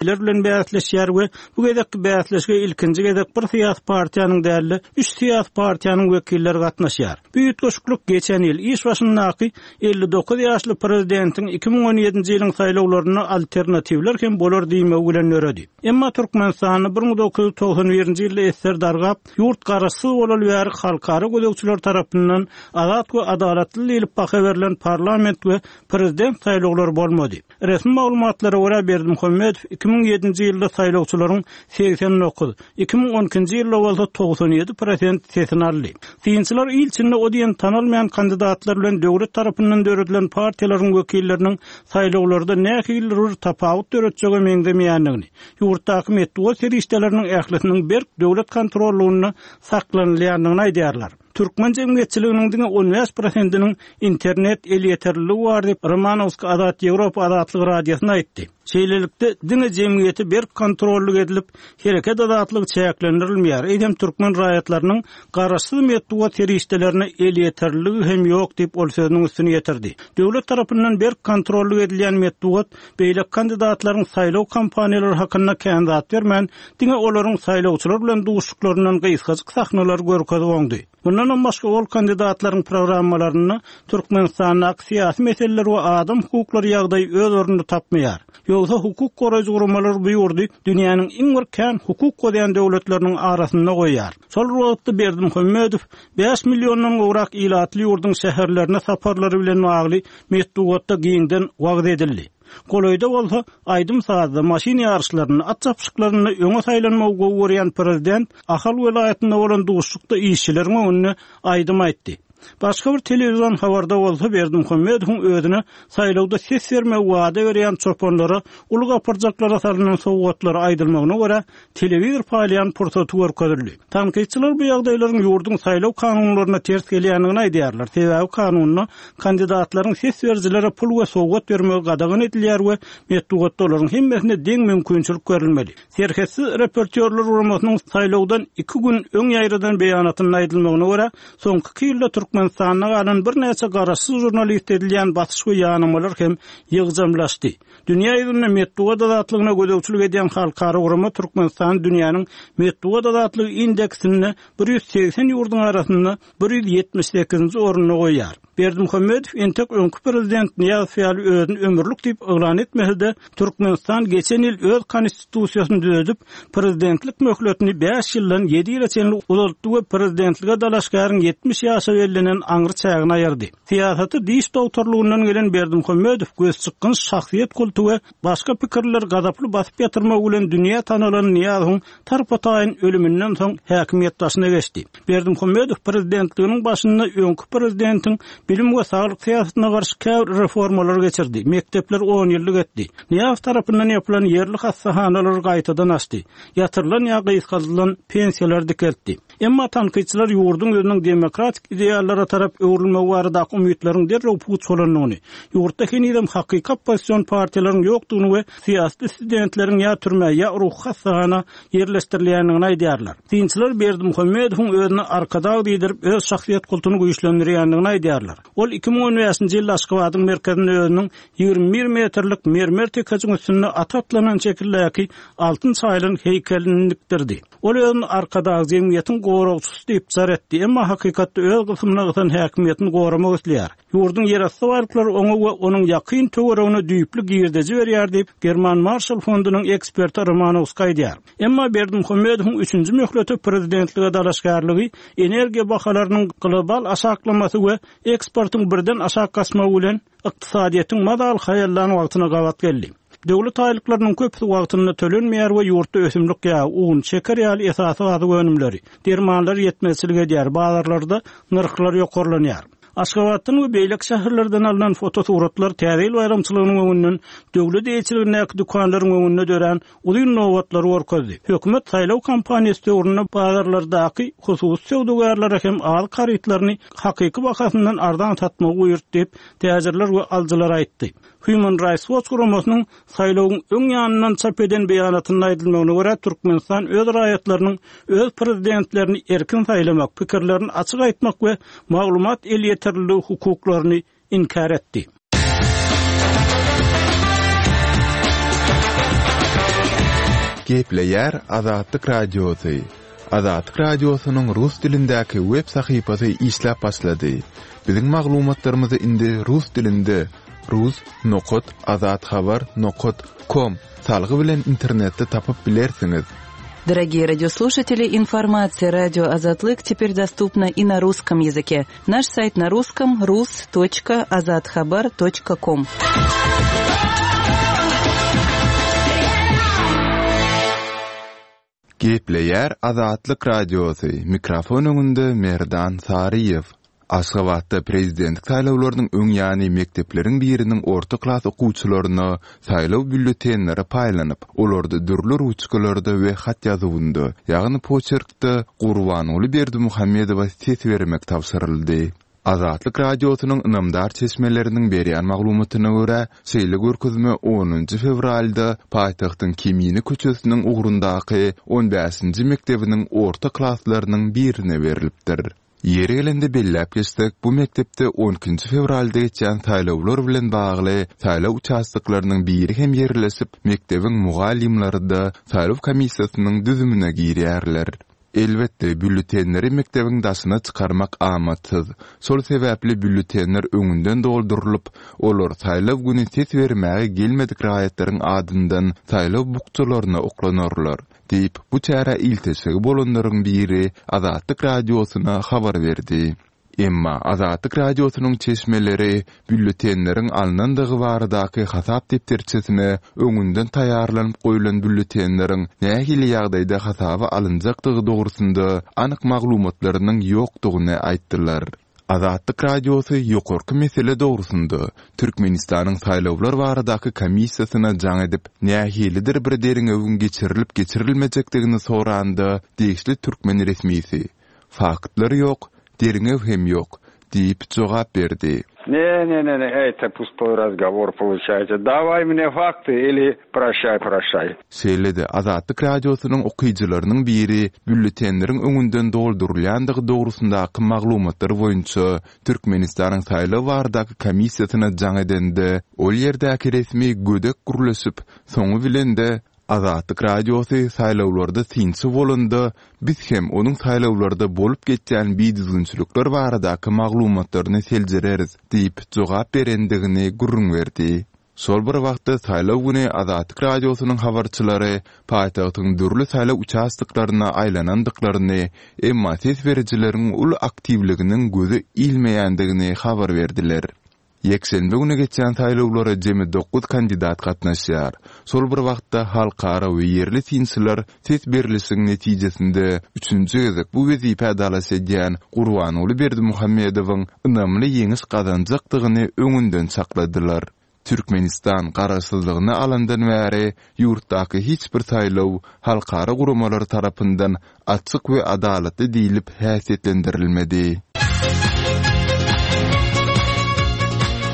Ler bilen bäsleşýär we bu gezekki bäsleşige ilkinji gezek bir syýasy partiýanyň däl-de, üç syýasy partiýanyň wekilleri gatnaşýar. Bu üýtgeşiklik geçen ýyl iş başyndaky 59 ýaşly prezidentiň 2017-nji ýylyň saýlawlarynda alternatiwler hem bolar diýmegi bilen döredi. Emma Türkmenistanda 1991-nji ýylda esser dargap, ýurt garaşsyz bolaly bäri halkara gözegçiler tarapyndan azat we adalatly diýlip baha berlen parlament we prezident saýlawlary bolmady. Resmi maglumatlara görä, Berdimuhamedow 2007-nji ýylda saýlawçylaryň 89, 2012-nji ýylda bolsa 97 prosent sesini aldy. Synçylar il içinde o diýen tanalmaýan kandidatlar bilen döwlet tarapyndan döredilen partiýalaryň wekilleriniň saýlawlarda nähilidir bir tapawut döretjege meňzemeýändigini, ýurtdaky metbugat serişdeleriniň ählisiniň berk döwlet kontrollygynda saklanylýandygyny aýdýarlar. Türkmen jemgyýetçiliginiň diňe 15 prosentiniň internet elýeterliligi bar diýip, Romanowski Azat Ýewropa Azatlyk Radiosyna aýtdy. Şeýlelikde, diňe jemgyýete berk kontrollyk edilip, hereket azatlygy çäklendirilmeýär, eýsem türkmen raýatlarynyň garaşsyz metbugat serişdelerine elýeterliligi hem ýok diýip, ol sözüniň üstüni ýetirdi. Döwlet tarapyndan berk kontrollyk edilýän metbugat beýleki kandidatlaryň saýlaw kampaniýalary hakynda kän zat bermän, diňe olaryň saýlawçylar bilen duşuşyklaryndan gysgajyk sahnalary görkezip oňdy. Mundanam başga ol kandidatlaryň programmalarynda Türkmenistandaky syýasy meseleler we adam hukuklary ýagdaýy öz ornuny tapmaýar. Ýogsa hukuk goraýjy guramalar bu ýurdy dünýäniň iň bir kän hukuk bozýan döwletleriniň arasynda goýýar. Şol bir wagtda Berdimuhamedow bäş milliondan gowrak ilatly ýurduň şäherlerine saparlary bilen bagly metbugatda giňden wagyz edildi. Golaýda bolsa, aýdym-sazda, maşyn ýaryşlarynda, at çapyşyklarynda öňe saýlanmagy gowy görýän prezident Ahal welaýatynda bolan duşuşykda işçileriň öňünde aýdym aýtdy. Başga bir telewizion habarda bolsa Berdimuhamedowyň özüne saýlawda ses bermegi wada berýän çopanlara uly gapyrjaklara salnan sowgatlary aýdylmagyna görä, telewizor paýlaýan pursaty görkezildi. Tankytçylar bu ýagdaýlaryň ýurduň saýlaw kanunlaryna ters gelýändigini aýdýarlar, sebäbi kanunda kandidatlaryň ses berijilere pul we sowgat bermegi gadagan edilýär we metbugatda olaryň hemmesine deň mümkinçilik berilmeli. Serhetsiz reportýorlar guramasynyň saýlawdan iki gün öň ýaýradan beýanatynda aýdylmagyna görä, soňky iki ýylda Türkmenistanda galan birnäçe garaşsyz žurnaliste edilýän basyş we ýanamalar hem ýygjamlaşdy. Dünýä ýüzünde metbugat azatlygyna gözegçilik edýän halkara gurama Türkmenistany dünýäniň metbugat azatlygy indeksinde 180 ýurduň arasynda 178-nji orunda goýýar. Berdimuhamedow entek öňki prezident Nyýazow ýaly özüni ömürlik diýip yglan etmese-de, Türkmenistan geçen ýyl öz Konstitusiýasyny düzedip, prezidentlik möhletini bäş ýyldan ýedi ýyla çenli uzaltdy we prezidentlige dalaşgäriň 70 ýaşa bellenen aňry çägini aýyrdy. Syýasata diş dogtorlygyndan gelen Berdimuhamedow gözçykgynç şahsyýet kulty we başga pikirlileri gazaply basyp ýatyrmagy bilen dünýä tanalan Nyýazowyň tarpa-taýyn ölüminden soň häkimiýet başyna geçdi. Berdimuhamedow prezidentliginiň başynda öňki prezidentiň bilim we saglyk syýasatyna garşy käbir reformalary geçirdi, mekdepleri onýyllyk etdi, Nyýazow tarapyndan ýapylan ýerli hassahanalary gaýtadan açdy, ýatyrylan ýa gysgaldylan pensiýalary dikeltdi. Emma tankytçylar ýurduň ýüzüniň demokratik ideallara tarap öwrülmegi baradaky umytlaryň derrew puç bolandygyny, ýurtda henizem hakyky oppozision partiýalaryň ýokdugyny we syýasy dissidentleriň ýa türmä, ýa ruhy hassahana ýerleşdirilýändigini aýdýarlar. Synçylar Berdimuhamedowyň özüne Arkadag diýdirip, öz şahsyýet kultuny güýçlendirýändigini aýdýarlar. Ol 2015-nji ýylda Aşgabadyň merkezinde özüniň 21 metrlik mermer tekejiň üstünde at atlanan şekildäki altyn çaýylan heýkelini dikdirdi. Ol özüni Arkadag jemgyýetiň goragçysy diýip jar etdi, emma hakykatda öz gysymyna gysan häkimiýetini goramak isleýär. Ýurduň ýerasty baýlyklary oňa we onuň ýakyn töweregine düýpli girdeji berýär diýip, German Marşall fondunyň eksperti Romanowski aýdýar. Emma Berdimuhamedowyň üçünji möhlete prezidentlige dalaşgärligi energiýa bahalarynyň global aşaklamasy we eksportyň birden aşak gaçmagy bilen ykdysadyýetiň mazaly haýallan wagtyna gabat geldi. Döwlet aýlyklarynyň köpüsi wagtynda tölenmeýär we ýurtda ösümlik ýagy, un, şeker ýaly esasy azyk önümleri, dermanlar ýetmezçilik edýär, bazarlarda nyrhlar ýokarlanýar. Aşgabatdan we beýleki şäherlerden alnan fotosuratlar Täze ýyl baýramçylygynyň öňünden döwlet eýeçiligindäki dükanlaryň öňünde dörän uzyn nobatlary görkezdi. Hökümet saýlaw kampaniýasy döwründe bazarlardaky hususy söwdagärlere hem azyk harytlaryny hakyky bahasyndan arzan satmagy buýurdy diýip, täjirler we alyjylar aýtdy. Human Rights Watch guramasynyň saýlawyň öň ýanyndan çap eden beýanatynda aýdylmagyna görä, Türkmenistan öz raýatlarynyň öz prezidentlerini erkin saýlamak, pikirlerini açyk aýtmak we maglumat elýeterliligi hukuklaryny inkär etdi. Gepleýär Azatlyk Radiosy. Azatlyk Radiosynyň rus dilindäki web sahypasy işläp başlady. Biziň maglumatlarymyzy indi rus dilinde rus nokat azathabar nokat kom salgy bilen internetde tapyp bilersiňiz. Дорогие радиослушатели, информация радио Азатлык теперь доступна и на русском языке. Наш сайт на русском rus.azathabar.com. Gepleýär Azatlyk Radiosy, mikrofon öňünde Merdan Saryýew. Aşgabatda prezidentlik saýlawlarynyň öň ýany mekdepleriň biriniň orta klas okuwçylaryna saýlaw býulletenleri paýlanyp, olarda dürli ruçkalarda we hat ýazuwynda, ýagny poçerkde Gurbanguly Berdimuhamedowa ses bermek tabşyryldy. Azatlyk Radiosynyň ynamdar çeşmeleriniň berýän maglumatyna görä, şeýle görkezme onunjy fewralda paýtagtyň Kemine köçesiniň ugrundaky on bäşinji mekdebiniň orta klaslarynyň birine berlipdir. Ýeri gelende belläp geçsek, bu mekdepde on ikinji fewralda geçýän saýlawlar bilen bagly saýlaw uçastoklarynyň biri hem ýerleşip, mekdebiň mugallymlary-da saýlaw komissiýasynyň düzümine girýärler. Elbetde, býulletenleri mekdebiň daşyna çykarmak amatsyz. Şol sebäpli býulletenler öňünden doldurylyp, olar saýlaw güni ses bermäge gelmedik raýatlaryň adyndan saýlaw bukjalaryna oklanarlar. Diýip, bu çärä ilteşigi bolanlaryň biri Azatlyk Radiosyna habar berdi. Emma Azatlyk Radiosynyň çeşmeleri býulletenleriň alnandygy baradaky hasap depderçesine öňünden taýýarlanyp goýlan býulletenleriň nähili ýagdaýda hasaba alynjakdygy dogrusynda anyk maglumatlarynyň ýokdugyny aýtdylar. Azatlyk Radiosy ýokarky mesele dogrusynda Türkmenistanyň Saýlawlar baradaky komissiýasyna jaň edip, nähilidir bir derňewiň geçirilip-geçirilmejekdigini soranda, degişli türkmen resmisi, Faktlar ýok, derňew hem ýok diýip jogap berdi. Ne ne ne ne eto pustoý razgowor poluçaýsa daway mne fakty ili proşaý proşaý. Şeýle-de Azatlyk Radiosynyň okyjylarynyň biri býulletenleriň öňünden doldurylýandygy dogrusyndaky maglumatlar boýunça Türkmenistanyň Saýlaw baradaky komissiýasyna jaň edende, ol ýerdäki resmi gödek gürleşip, soňy bilen-de Azatlyk Radiosy saýlawlarda synçy bolanda, biz hem onuň saýlawlarda bolup geçýän bidüzgünçilikler baradaky maglumatlaryny seljereris diýip jogap berendigini gürrüň berdi. Şol bir wagtda, saýlaw güni Azatlyk Radiosynyň habarçylary paýtagtyň dürli saýlaw uçastoklaryna aýlanandyklaryny, emma ses berijileriň uly aktiwliginiň göze ilmeýändigini habar berdiler. Ýekşenbe güni geçýän saýlawlara jemi dokuz kandidat gatnaşýar. Şol bir wagtda, halkara we ýerli synçylar ses berlişigiň netijesinde üçünji gezek bu wezipä dalaş edýän Gurbanguly Berdimuhamedowyň ynamly ýeňiş gazanjakdygyny öňünden çakladylar. Türkmenistan garaşsyzlygyny alandan bäri ýurtdaky hiç bir saýlaw halkara guramalary tarapyndan açyk we adalatly diýlip häsiýetlendirilmedi.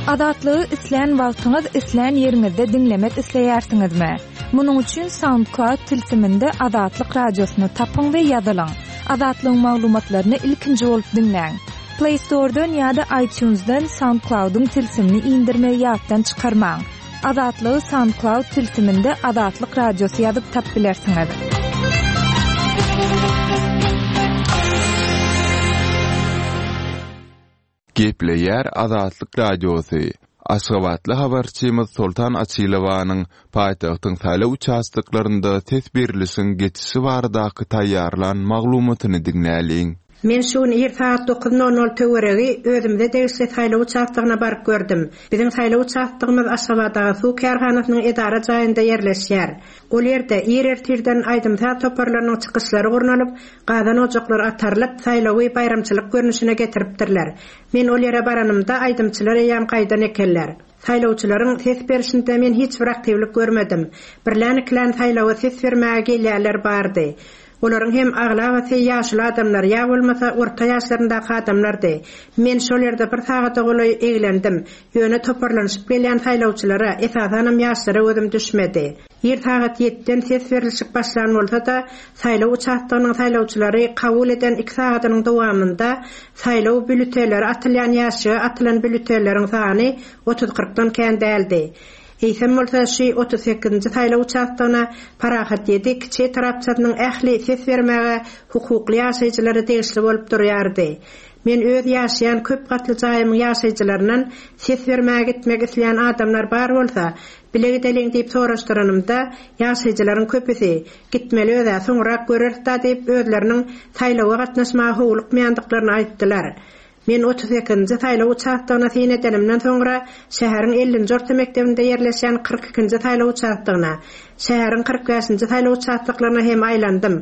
Azatlygy islän wagtyňyz, islän ýeriňizde diňlemek isleýärsiňizmi? Munuň üçin SoundCloud tilsiminde Azatlyk Radiosyny tapyň we ýazylyň. Azatlygyň maglumatlaryny ilkinji bolup diňläň. Play Store-dan ýa-da iTunes-dan SoundCloud-yň tilsimini indirmegi ýatdan çykarmaň. Azatlygy SoundCloud tilsiminde Azatlyk Radiosy ýazyp tap bilersiňiz. Gepleýär Azatlyk Radiosy, Aşgabatly habarçymyz Soltan Açylowanyň paýtagtyň saýlaw uçastoklarynda ses berlişiň geçişi baradaky taýýarlan maglumatyny diňläliň. Men şu gün ir sagat dokuz nol nol töweregi özümize degişli saýlaw uçastogyna baryp gördüm. Biziň saýlaw uçastogymyz Aşgabatagazuw kärhanasynyň edara jaýynda ýerleşýär. Ol ýerde ir ertirden aýdym-saz toparlarynyň çykyşlary gurnalyp, gazan ojaklar atarylyp, saýlawy baýramçylyk görnüşine getiripdirler. Men ol ýere baranymda aýdymçylar eýýäm gaýdan ekenler. Saýlawçylaryň ses berşinde men hiç bir aktiwlik görmedim. Birlän-ikilän saýlawa ses bermäge gelýänler bardy. Olaryň hem aglabasy ýaşuly adamlar ýa bolmasa orta ýaşlaryndaky adamlardy. Men şol ýerde bir sagada golaý eglendim. Ýöne toparlanyşyp gelýän saýlawçylara, esasanam ýaşlara gözüm düşmedi. Ir sagat ýediden ses berlişik başlan bolsa-da, saýlaw uçastogynyň saýlawçylary kabul eden iki sagadynyň dowamynda saýlaw býulletenleri atylýan ýaşşige atylan býulletenleriň sany otuz-kyrkdan kän däldi. Eýsem bolsa, şu 38-nji saýlaw uçastogyna Parahat ýedi kiçi etrapçasynyň ähli ses bermäge hukukly ýaşaýjylary degişli bolup durýardy. Men öz ýaşaýan köp gatly jaýymyň ýaşaýjylaryndan ses bermäge gitmek isleýän adamlar bar bolsa, bile gideliň diýip soraşdyranymda, ýaşaýjylaryň köpüsi, Gitmeli öz-ä, soňrak göreris-da diýip, özleriniň saýlawa gatnaşmaga howlukmaýandyklaryny aýtdylar. Men 38-nji saýlaw uçastogyna syn edenimden soňra, şäheriň ellinji orta mekdebinde ýerleşýän 42-nji saýlaw uçastogyna, şäheriň 45-nji saýlaw uçastoklaryna hem aýlandym.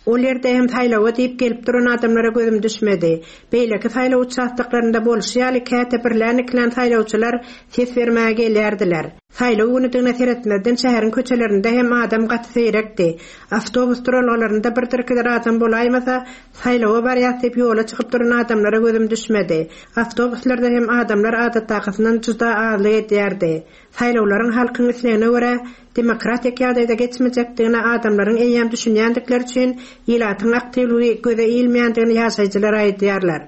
Ol ýerde hem saýlawa diýip gelip duran adamlara gözüm düşmedi. Beýleki saýlaw uçastoklarynda bolşy ýaly käte birlän-ikilän saýlawçylar ses bermäge gelýärdiler. Saýlaw günüdigine seretmezden şäheriň köçelerinde hem adam gaty seýrekdi. Awtobus duralgalarynda birdir-ikidir adam bolaýmasa, saýlawa barýas diýip ýola çykyp duran adamlara gözüm düşmedi. Awtobuslarda hem adamlar adatdakysyndan juda azlyk edýärdi. Saýlawlaryň halkyň islegine görä demokratik ýagdaýda geçmejekdigine adamlaryň eýýäm düşünýändikleri üçin ilatyň aktiwligi göze ilmeýändigini ýaşaýjylar aýdýarlar.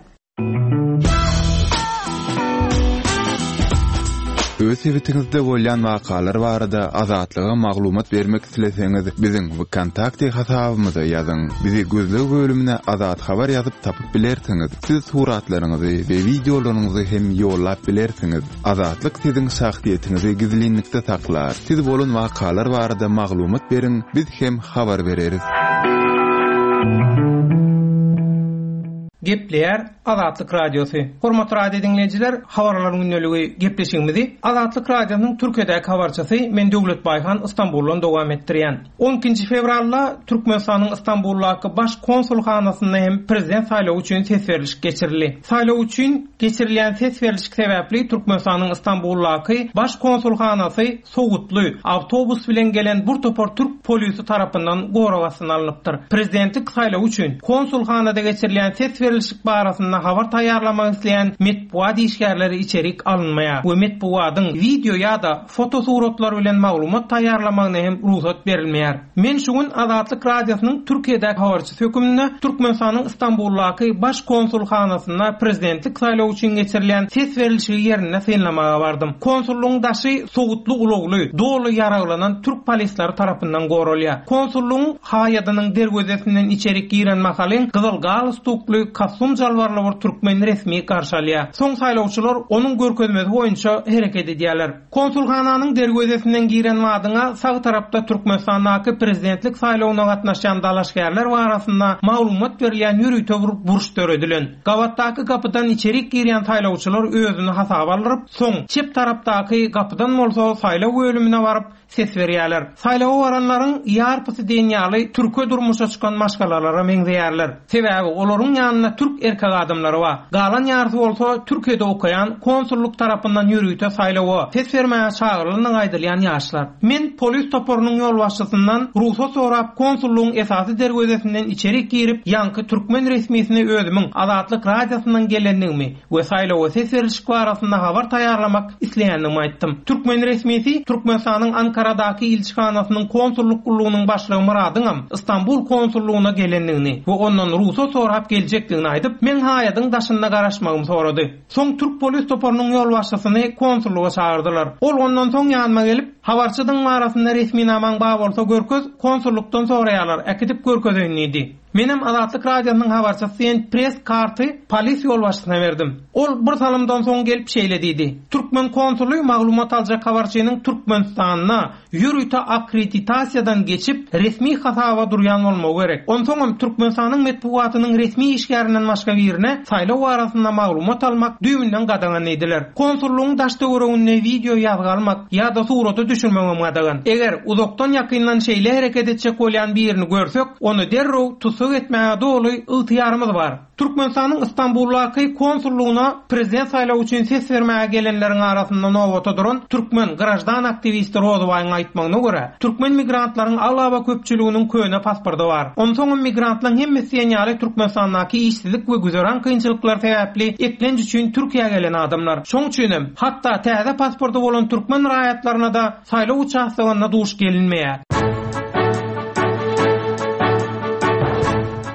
Öz sebitiňizde bolýan wakalar barada Azatlyga maglumat bermek isleseňiz, biziň WKontakte hasabymyza ýazyň. Bizi gözleg bölümine Azat Habar ýazyp tapyp bilersiňiz. Siz suratlaryňyzy we wideolaryňyzy hem ýollap bilersiňiz. Azatlyk siziň şahsyýetiňizi gizlinlikde saklar. Siz bolan wakalar barada maglumat beriň, biz hem habar bereris. Gepleýär Azatlyk Radiosy. Hormatly radio diňleýjiler, Habarlaryň gündeligi gepleşigimizi Azatlyk Radiosynyň Türkiýedäki habarçysy men Döwlet Baýhan Istanbuldan dowam etdirýän. On ikinji fewralda Türkmenistanyň Istanbuldaky Baş konsulhanasynda hem prezident saýlawy üçin ses berlişik geçirildi. Saýlaw üçin geçirilýän ses berlişik sebäpli Türkmenistanyň Istanbuldaky Baş konsulhanasy sowutly awtobus bilen gelen bir topar türk polisi tarapyndan gorag astyna alnypdyr. Prezidentlik saýlawy üçin konsulhanada geçirilýän ses berlişik barasynda habar taýýarlamak isleýän metbugat işgärleri içerik alynmaýar we metbugatyň wideo ýa-da fotosuratlar bilen maglumat taýýarlamagyna hem rugsat berilmeýär. Men şu gün Azatlyk Radiosynyň Türkiýedäki habarçysy hökmünde Türkmenistanyň Stambuldaky Baş konsulhanasynda prezidentlik saýlawy üçin geçirilýän ses berlişigi ýerinde synlamaga bardym. Konsullygyň daşy sowutly ulagly, doly ýaraglanan türk polisleri tarapyndan goralýar. Konsullygyň haýadynyň derwezesinden içerik giren mahalyň gyzyl galstukly, kostum-jalbarly bir türkmen resmi garşy alýar. Soň saýlawçylar onuň görkezmesi boýunça hereket edýärler. Konsulhananyň derwezesinden giren badyňa sag tarapda Türkmenistandaky prezidentlik saýlawyna gatnaşýan dalaşgärler barasynda maglumat berilýän ýörite bir burç döredilen. Gabatdaky gapydan içerik girýän saýlawçylar özüni hasaba aldyryp, soň çep tarapdaky gapydan bolsa saýlaw bölümine baryp, ses berýärler. Saýlawa baranlaryň ýarpysy diýen ýaly türke durmuşa çykan maşgalalara meňzeýärler. Sebäbi olaryň ýanynda türk erkek adamlary bar. Galan ýarysy bolsa Türkiýede okaýan, konsullyk tarapyndan ýörite saýlawa ses bermäge çagyrylandygy aýdylýan ýaşlar. Men polis toparynyň ýolbaşçysyndan rugsat sorap konsullygyň esasy derwezesinden içerik girip, ýaňky türkmen resmisine özümiň Azatlyk Radiosyndan gelendigimi we saýlawa ses berlişik barasynda habar taýýarlamak isleýändigimi aýtdym. Türkmen resmisi Türkmenistanyň Ankaradaky ilçihanasynyň konsullyk gullugynyň başlygy Myradyňam Stambul konsullygyna gelendigini we ondan rugsat sorap geljekdigini aýdyp, meň haýadyň daşynda garaşmagymy sorady. Soň türk polis toparynyň ýolbaşçysyny konsullyga çagyrdylar. Ol ondan soň ýanyma gelip, Habarçydygyň barasynda resminamaň bar bolsa görkez, konsullykdan soraýarlar, äkidip görkezeýin diýdi. Menem Azatlyk Radiosynyň habarçysy diýen press karty polis ýolbaşçysyna berdim. Ol bir salymdan soň gelip şeýle diýdi, Türkmen konsuly maglumat aljak habarçynyň Türkmenistanda ýörite akkreditasiýadan geçip, resmi hasaba durýan bolmagy gerek. Onsoňam Türkmenistanyň metbugatynyň resmi işgärinden başga birine saýlaw barasynda maglumat almak düýbünden gadagan diýdiler. Konsullygyň daş-töwereginde wideo ýazgy almak ýa-da surata düşürmegem gadagan. Eger uzakdan-ýakyndan şeýle hereket etjek bolýan birini görsek, Ony derrew tussag etmäge doly ygtyýarymyz bar. Türkmenistanyň Stambuldaky konsullygyna prezident saýlawy üçin ses bermäge gelenleriň arasynda nobata duran türkmen graždan aktiwisti Rozybaýyň aýtmagyna görä, türkmen migrantlaryň aglaba köpçüliginiň köne pasporty bar. Onsoňam migrantlaryň hemmesi diýen ýaly Türkmenistandaky işsizlik we güzeran kynçylyklary sebäpli eklenç üçin Türkiýä gelen adamlar. Şoň üçinem, hatda täze pasporty bolan türkmen raýatlaryna-da Saýlaw uçastogynda duş gelinmeýär.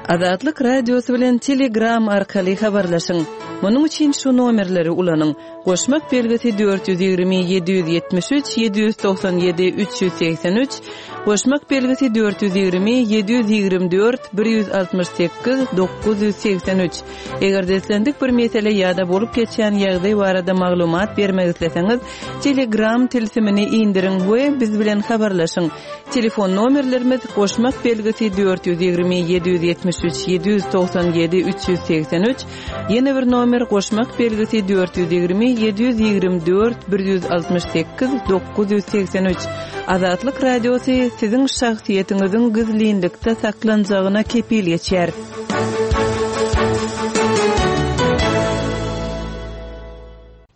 Azatlyk Radiosy bilen Telegram arkaly habarlaşyň! Munuň üçin şu nomerleri ulanyň, goşmak belgisi 420 773 797 383, goşmak belgisi 420 724 168 983. Eger-de islendik bir mesele ýa-da bolup geçýän ýagdaý barada maglumat bermek isleseňiz, Telegram tilsimini indiriň we biz bilen habarlaşyň. Telefon nomerlerimiz, goşmak belgisi 420 773 797 383, ýene bir nomer goşmak belgisi 420 724 168 983. Azatlyk Radiosy siziň şahsyýetiňiziň gizlinlikde saklanjagyna kepil geçýär.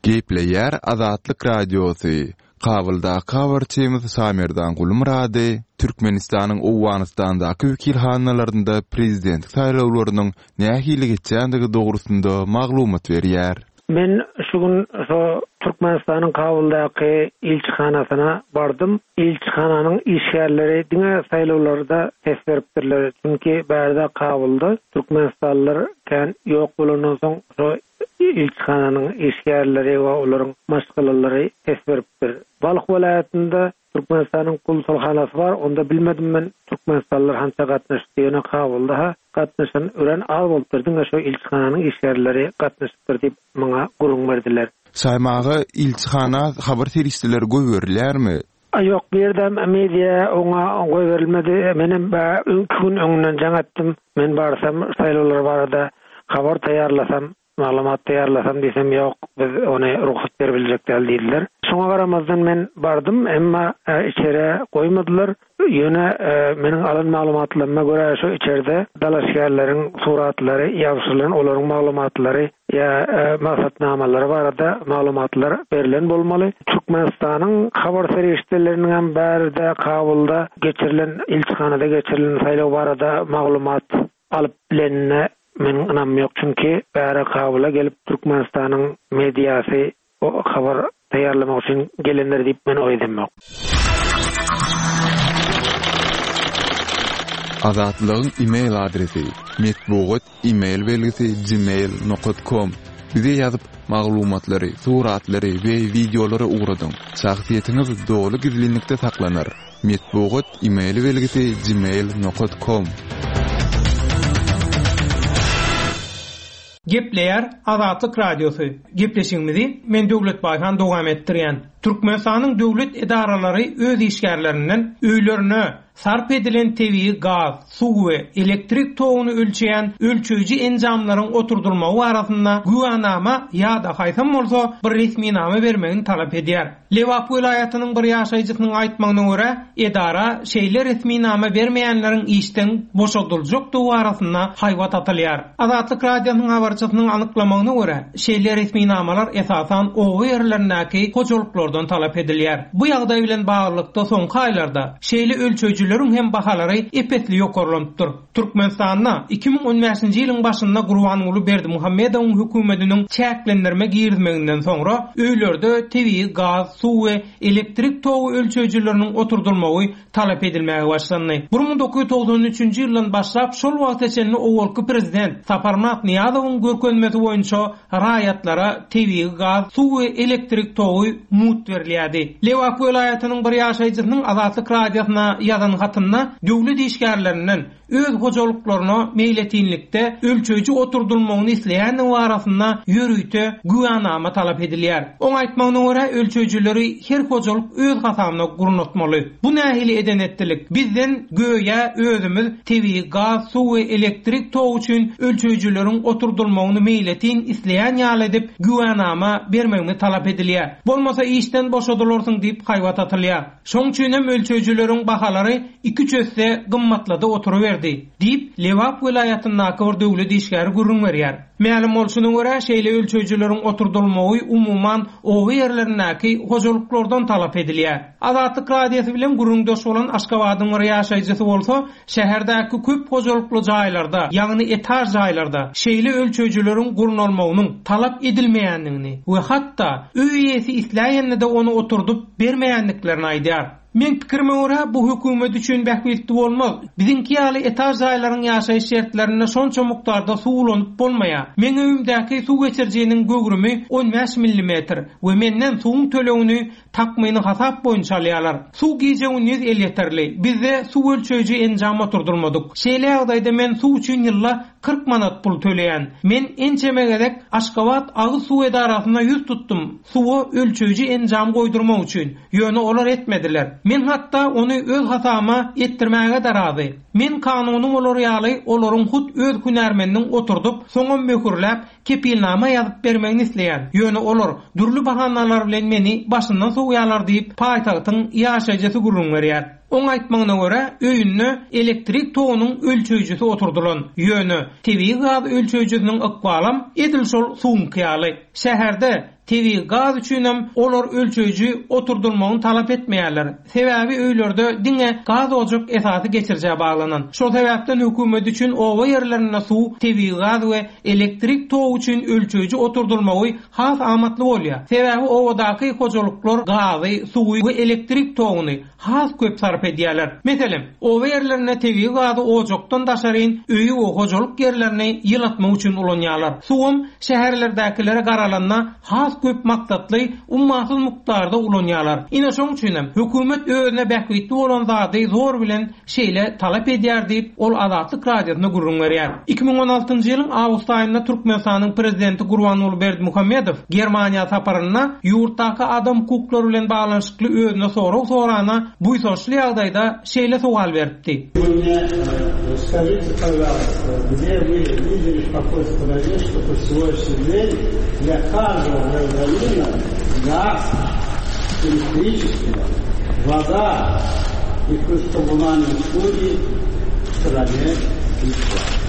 Gepleýär Azatlyk Radiosy, Kabuldaky habarçymyz Şamerdan Gulmyrady Türkmenistanyň Owganystandaky wekilhanalarynda prezidentlik saýlawlarynyň nähili geçýändigi dogrusynda maglumat berýär. Men şu gün şo Türkmenistanyň Kabuldaky ilçihanasyna bardym. Ilçihananyň işgärleri diňe saýlawlarda ses beripdirler. Çünki bärde Kabulda türkmenistanlylar kän ýok bolandan soň şo ilçihananyň işgärleri we olaryň maşgalalary ses beripdir. Balh welaýatynda Türkmenistanyň konsulhanasy bar, onda bilmedim men türkmenistanlylar hança gatnaşypdy, ýöne Kabulda-ha gatnaşan örän az bolupdyr, diňe şo ilçihananyň işgärleri gatnaşypdyr diýip maňa gürrüň berdiler. Saýmaga ilçihana habar serişdeleri goýberilýärmi? A ýok, bu ýerdem media oňa goýberilmedi. Menem iki gün öňünden jaň etdim. Men barsam saýlawlar barada habar taýýarlasam, maglumat taýýarlasam diýsem, ýok, biz ony rugsat beribiljek däl diýdiler. Şoňa garamazdan men bardym, emma içerä goýmadylar. Ýöne meniň alan maglumatlaryma görä şu içerde dalaşgärleriň suratlary ýabşyrylan, olaryň maglumatlary ýa maksatnamalary barada maglumatlar berlen bolmaly. Türkmenistanyň habar serişdeleriniň hem bärde Kabulda geçirilen ilçihanada geçirilen saýlaw barada maglumat alyp bilenine meniň ynamym ýok. Çünki bäri Kabula gelip Türkmenistanyň mediasy O habar taýýarlamak üçin gelenler diýip men oý edemok. Azatlygyň email adresi, metbugat email belgisi gmail nokat kom. Bize ýazyp, maglumatlary, suratlary we wideolary ugradyň. Şahsyýetiňiz doly gizlinlikde saklanar. Metbugat email belgisi gmail nokat kom. Gepleýär Azatlyk Radiosy. Gepleşigimizi men Döwlet Baýhan dowam etdirýän. Türkmenistanyň döwlet edaralary öz işgärlerinden öýlerine sarp edilen tebigy gaz, suw we elektrik toguny ölçeýän ölçeýji enjamlaryň oturdylmagy barasynda güwänama ýa-da haýsam bolsa bir resminama bermegini talap edýär. Lebap welaýatynyň bir ýaşaýjysynyň aýtmagyna görä, edara şeýle resminama bermeýänleriň işden boşadyljakdygy barasynda haýbat atylýar. Azatlyk Radiosynyň habarçysynyň anyklamagyna görä, şeýle resminamalar esasan oba ýerlerindäki hojalyklardan talap edilýär. Bu ýagdaý bilen baglylykda soňky aýlarda şeýle ölçeýjileriň hem bahalary ep-esli ýokarlanypdyr. Türkmenistanda 2015-nji ýylyň başynda Gurbanguly Berdimuhamedowyň hökümetiniň çäklendirme girizmeginden soňra öýlerde tebigy gaz, suw we elektrik togy ölçeýjileriniň oturdylmagy talap edilmäge başlandy. 1993-nji ýyldan başlap şol wagta çenli owalky prezident Saparmyrat Nyýazowyň görkezmesi boýunça raýatlara tebigy gaz, suw we elektrik togy mugt berilýärdi. Lebap welaýatynyň bir ýaşaýjysynyň Azatlyk Radiosyna ýazan hatynda döwlet işgärlerinden öz hojalyklaryna meýletinlikde ölçeýji oturdylmagyny isleýändigi barasynda ýörite güwänama talap edilýär. Oň aýtmagyna görä, ölçeýjileri her hojalyk öz hasabyna gurnatmaly. Bu nähili eden-etdilik? Bizden göýä özümiz tebigy gaz, suw we elektrik togy üçin ölçeýjileriň oturdylmagyny meýletin isleýän ýaly edip güwänama bermegimiz talap edilýär. Bolmasa işden boşadylarsyň diýip haýbat atylýar. Şoň üçinem ölçeýjileriň bahalary iki-üç esse gymmatlady oturyberdi, diýip, Lebap welaýatyndaky bir döwlet işgäri gürrüň berýär. Mälim bolşuna görä, şeýle ölçeýjileriň oturdylmagy umuman oba ýerlerindäki hojalyklardan talap edilýär. Azatlyk Radiosy bilen gürrüňdeş bolan Aşgabadyň bir ýaşaýjysy bolsa, şäherdäki köp hojalykly jaýlarda, ýagny etaž jaýlarda şeýle ölçeýjileriň gurnalmagynyň talap edilmeýändigini we hatda öý eýesi isläýende-de ony oturdyp bermeýändiklerini aýdýar. Meň pikirime görä, bu hökümet üçin bähbitli bolmaz. Biziňki ýaly etaž jaýlaryň ýaşaýyş şertlerinde şonça mukdarda suw ulanyp bolmaýar. Meň öýümdäki suw geçirijiniň göwrümi 15 millimetr we menden suwuň tölegini takmyny hasap boýunça alýarlar. Suw gije-gündiz elýeterli. Bizde suw ölçeýji enjam oturdylmadyk. Şeýle ýagdaýda men suw üçin ýylda 40 manat pul töleýän. Men ençeme gezek Aşgabat agyz suw edarasyna ýüz tutdum, suwa ölçeýji enjam goýdurmak üçin. Ýöne olar etmediler. Men hatda ony öz hasabyma etdirmäge-de razy. Men kanuny bolar ýaly olaryň hut öz hünärmeniniň oturdyp, soňam möhürläp, kepilnama ýazyp bermegini isleýän. Ýöne olar dürli bahanalar bilen meni başyndan sowýarlar diýip, paýtagtyň ýaşaýjysy gürrüň berýär. Oň aýtmagyna görä, öýünde elektrik togunyň ölçeýjisi oturdylan. Ýöne tebigy gaz ölçeýjisiniň ykbalam edil şol suwuňky ýaly. Şäherde Tebigy gaz üçinem olar ölçeýji oturdylmagyny talap etmeýärler. Sebäbi öýlerde diňe gaz ojak esasy geçirijä baglanan. Şol sebäpden hökümet üçin oba ýerlerinde suw, tebigy gaz we elektrik togy üçin ölçeýji oturdylmagy has amatly bolýar. Sebäbi obadaky hojalyklar gazy, suwy we elektrik toguny has köp sarp edýärler. Meselem, oba ýerlerinde tebigy gazy ojakdan daşaryn öýi we hojalyk ýerlerini ýylatmak üçin ulanýarlar. Suwam şäherlerdäkilere garalanda has köp maksatly, ummasyz mukdarda ulanýarlar. Ine şoň üçinem, hökümet özüne bähbitli bolan zady zor bilen şeýle talap edýär diýip, ol Azatlyk Radiosyna gürrüň berýär. 2016-njy ýylyň awgust aýynda Türkmenistanyň Prezidenti Gurbanguly Berdimuhamedow Germaniýa saparynda ýurtdaky adam hukuklary bilen baglanyşykly özüne sorag sorana buýsançly ýagdaýda şeýle sowal beripdi. Вы мне скажите, пожалуйста, где вы видели в какой стране, что по сегодняшний день для каждого гражданина газ, электричество, вода и плюс коммунальные услуги в стране бесплатно.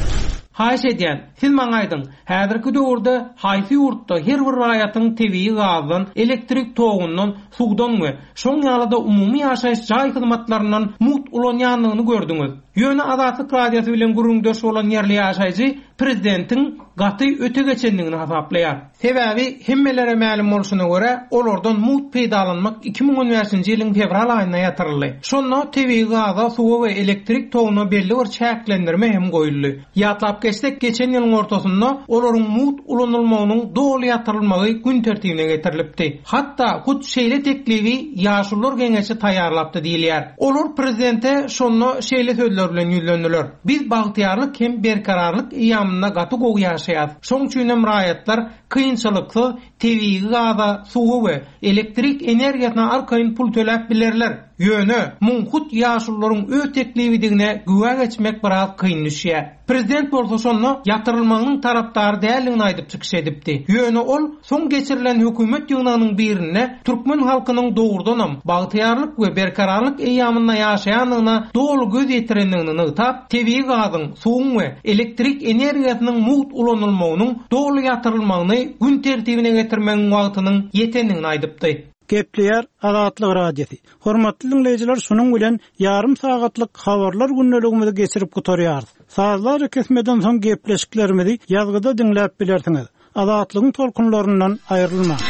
Haýyş edýän, siz maňa aýdyň, häzirki döwürde haýsy ýurtda her bir raýatyň tebigy gazdan, elektrik togundan, suwdan we şoň ýaly-da umumy ýaşaýyş jaý hyzmatlaryndan mugt ulanýandygyny gördüňiz? Ýöne Azatlyk Radiosy bilen gürrüňdeş bolan ýerli ýaşaýjy prezidentiň gaty öte geçendigini hasaplaýar. Sebäbi, hemmelere mälim bolşuna görä, olardan mugt peýdalanmak 2015-nji ýylyň fewral aýynda ýatyryldy. Şonda tebigy gaza, suwa we elektrik toguna belli bir çäklendirme hem goýuldy. Ýatlap geçsek, geçen ýylyň ortasynda olaryň mugt ulanylmagynyň doly ýatyrylmagy gün tertibine getirilipdi. Hatda hut şeýle teklibi Ýaşulular geňeşi taýýarlapdy diýilýär. Olar prezidente şonda şeýle sözler bilen ýüzlendiler, Biz bagtyýarlyk hem berkararlyk eýýamynda gaty gowy ýaşaýas. Şoň üçinem raýatlar kynçylyksyz tebigy gaza, suwa we elektrik energiýasyna arkaýyn pul töläp bilerler. Ýöne, muň hut ýaşulularyň öz teklibidigine güwä geçmek biraz kyn düşýär. Prezident bolsa şonda ýatyrylmagynyň tarapdary däldigini aýdyp çykyş edipdi. Ýöne ol soň geçirilen hökümet ýygnagynyň birinde türkmen halkynyň dogrudanam bagtyýarlyk we berkararlyk eýýamynda ýaşaýandygyna doly göz ýetirendigini nygtap, tebigy gazyň, suwuň we elektrik energiýasynyň mugt ulanylmagynyň doly ýatyrylmagyny gün tertibine getirmegiň wagtynyň ýetendigini aýdypdy. Gepleýär Azatlyk Radiosy. Hormatly diňleýjiler şunuň bilen ýarym sagatlyk habarlar gündeligimizi geçirip gutarýarys. Sazly arakesmeden soň gepleşiklerimizi ýazgyda diňläp bilersiňiz. Azatlygyň tolkunlaryndan aýrylmaň.